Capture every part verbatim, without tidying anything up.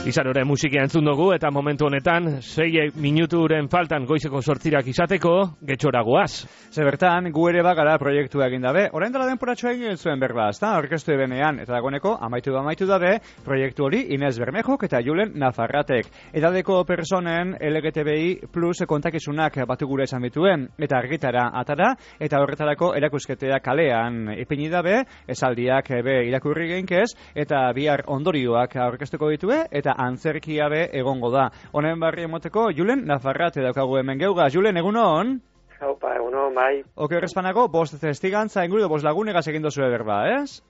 Izanore musikia entzun dugu eta momentu honetan sei minuturen faltan goizeko sortzirak izateko getxora goaz. Ze bertan, gu ere bagara proiektua egin dabe. Orain dela denporatxo egin zuen berba, ezta? Orkestu ebenean, eta dagoeneko amaitu da amaitu dabe proiektu hori Inez Bermejok eta Julen Nafarratek. Edadeko personen L G T B I plus kontakizunak batu gure esan bituen, eta argitara atara, eta horretarako erakusketea kalean ipini dabe, esaldiak be irakurri geinkez, eta bihar ondorioak aurkeztuko ditue, eta antzerkia be egongo da. Honen barri emoteko, Julen Nafarrate daukagu hemen geuga. Julen, egunon? Haupa, egunon, bai. Oke, horrezpanako, bost testigantza inguru, bost lagunegaz egin dozue berba, ez?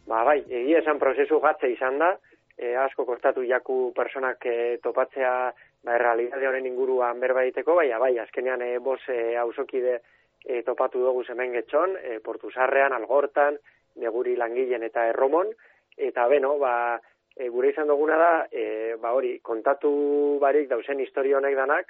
Ba, bai, egia esan prozesu gatze izan da, e, asko kostatu jaku personak e, topatzea, ba, errealidade honen inguruan berba egiteko, bai, bai, azkenean e, bost e, hausokide e, topatu dugu hemen getxon, e, Portusarrean, Algortan, Neguri Langileen eta Erromon, eta beno, ba, E, gure izan duguna da, e, ba hori, kontatu barik dauzen historio honek danak,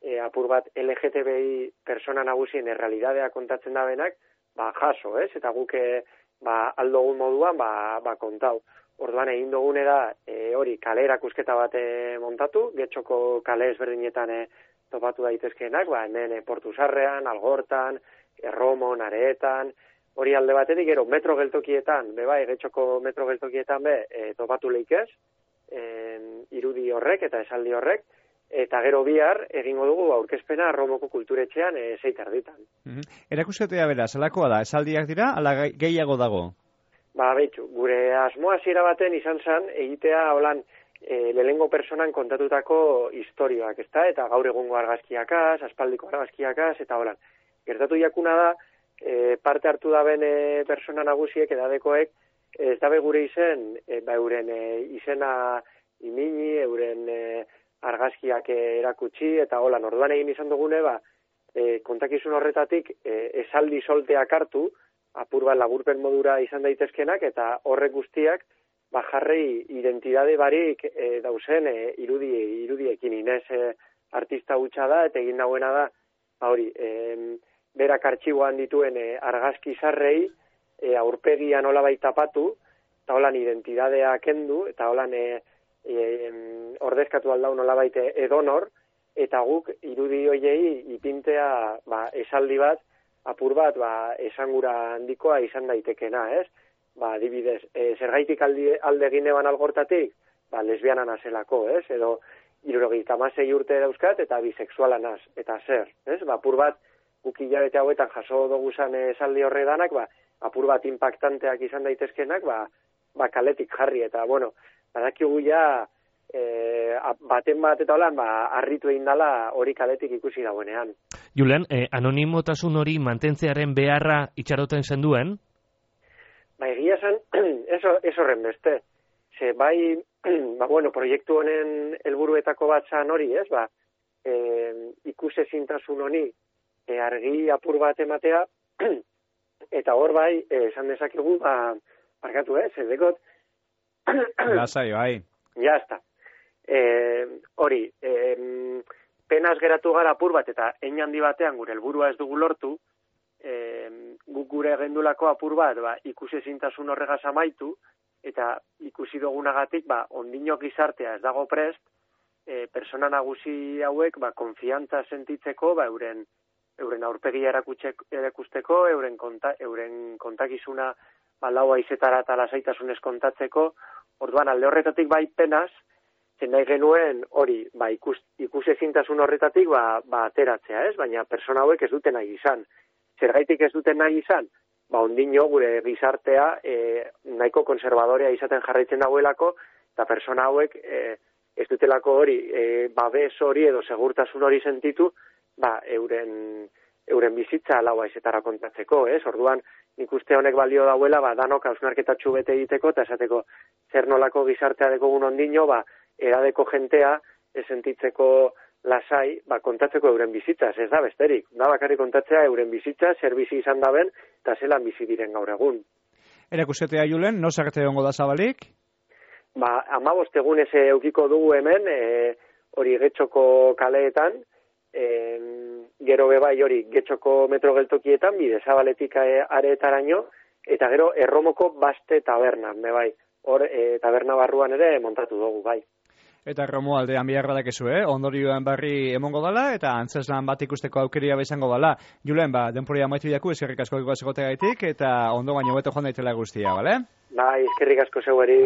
e, apur bat L G T B I persona nagusien errealidadea kontatzen da benak, ba jaso, ez? Eta guke ba, aldogun moduan ba, ba kontau. Orduan egin dugune da, e, hori, kale erakusketa bat e, montatu, getxoko kale ezberdinetan e, topatu daitezkeenak, ba hemen e, Portusarrean, Algortan, Erromon, Areetan, hori alde batetik, gero, metro geltokietan, beba, getxoko metro geltokietan be, e, topatu leikez, e, irudi horrek eta esaldi horrek, eta gero bihar, egingo dugu aurkezpena Romoko kulturetxean e, zeit erditan. Mm-hmm. Erakusketea bera, zelakoa da, esaldiak dira, ala gehiago dago? Ba, behitxu, gure asmoa zira baten izan zen, egitea, holan, e, lehengo personan kontatutako historioak, ezta? Eta gaur egungo argazkiakaz, aspaldiko argazkiakaz, eta holan. Gertatu jakuna da, E, parte hartu daben e, persona nagusiek edadekoek ez dabe gure izen e, ba, euren e, izena imini, euren e, argazkiak e, erakutsi eta holan orduan egin izan dugune ba, e, kontakizun horretatik e, esaldi solteak hartu apur bat laburpen modura izan daitezkenak eta horrek guztiak ba, jarrei identidade barik e, dauzen e, irudi, irudiekin Inez e, artista hutsa da eta egin dauena da ba, hori e, berak artxiboan dituen e, argazki zarrei e, aurpegian nolabait tapatu, eta holan identidadea kendu, eta holan e, e, ordezkatu aldau nolabait edonor, eta guk irudi hoiei ipintea ba, esaldi bat, apur bat ba, esangura handikoa izan daitekena, ez? Ba, adibidez, e, zergaitik alde, alde gineban Algortatik, ba, lesbiana nazelako, ez? Edo, hirurogeita hamasei urte dauzkat, eta bisexuala naz, eta zer, ez? Ba, apur bat, guk hilabete hauetan jaso dugu zan esaldi horre danak, ba, apur bat impactanteak izan daitezkenak, ba, ba kaletik jarri, eta, bueno, badakigu ja, e, baten bat eta holan, ba, harritu egin dala hori kaletik ikusi dagoenean. Julen, eh, anonimotasun hori mantentzearen beharra itxaroten zenduen? Ba, egia zen, eso, eso horren beste. Ze, bai, ba, bueno, proiektu honen helburuetako bat zan hori, ez, ba, e, ikusezintasun honi, E, argi apur bat ematea, eta hor bai, esan dezakegu, ba, parkatu, eh, zedekot. Lasai, bai. Ja, ezta. E, hori, e, penaz geratu gara apur bat, eta hein handi batean gure helburua ez dugu lortu, e, guk gure gendulako apur bat, ba, ikusezintasun horregaz amaitu, eta ikusi dugunagatik, ba, ondinok gizartea ez dago prest, e, persona nagusi hauek, ba, konfiantza sentitzeko, ba, euren, euren aurpegia erakusteko, euren, konta, euren kontakizuna ba, lau aizetara eta lasaitasunez kontatzeko, orduan alde horretatik bai penaz, zen nahi genuen hori, ba, ikus, ikusezintasun horretatik ba, ba, ateratzea, ez? Baina persona hauek ez duten nahi izan. Zergaitik ez duten nahi izan? Ba, ondino gure gizartea e, nahiko konservadorea izaten jarraitzen dagoelako, eta persona hauek e, ez dutelako hori, e, babes hori edo segurtasun hori sentitu, ba, euren, euren bizitza lau aizetara kontatzeko, ez? Orduan, nik uste honek balio dauela, ba, danok hausnarketatxu bete egiteko, eta esateko, zer nolako gizartea dekogun ondino, ba, edadeko jentea, esentitzeko lasai, ba, kontatzeko euren bizitzaz, ez da besterik. Da bakarrik kontatzea euren bizitza, zer bizi izan daben, eta zelan bizi diren gaur egun. Erakusketea, Julen, no zarte hongo da zabalik? Ba, amabost egunez eukiko dugu hemen, e, hori getxoko kaleetan, e, gero bebai hori getxoko metro geltokietan, bide zabaletik areetaraino, eta gero Erromoko Baste tabernan, bebai, hor e, taberna barruan ere montatu dugu, bai. Eta Romualdean bihar badakezu, eh? Ondorioan barri emongo dala, eta antzeslan bat ikusteko aukeria izango dala. Julen, ba, denporia amaitu diaku, eskerrik asko egoaz egotegaitik, eta ondo baino beto joan daitela guztia, bale? Bai, eskerrik asko zeueri.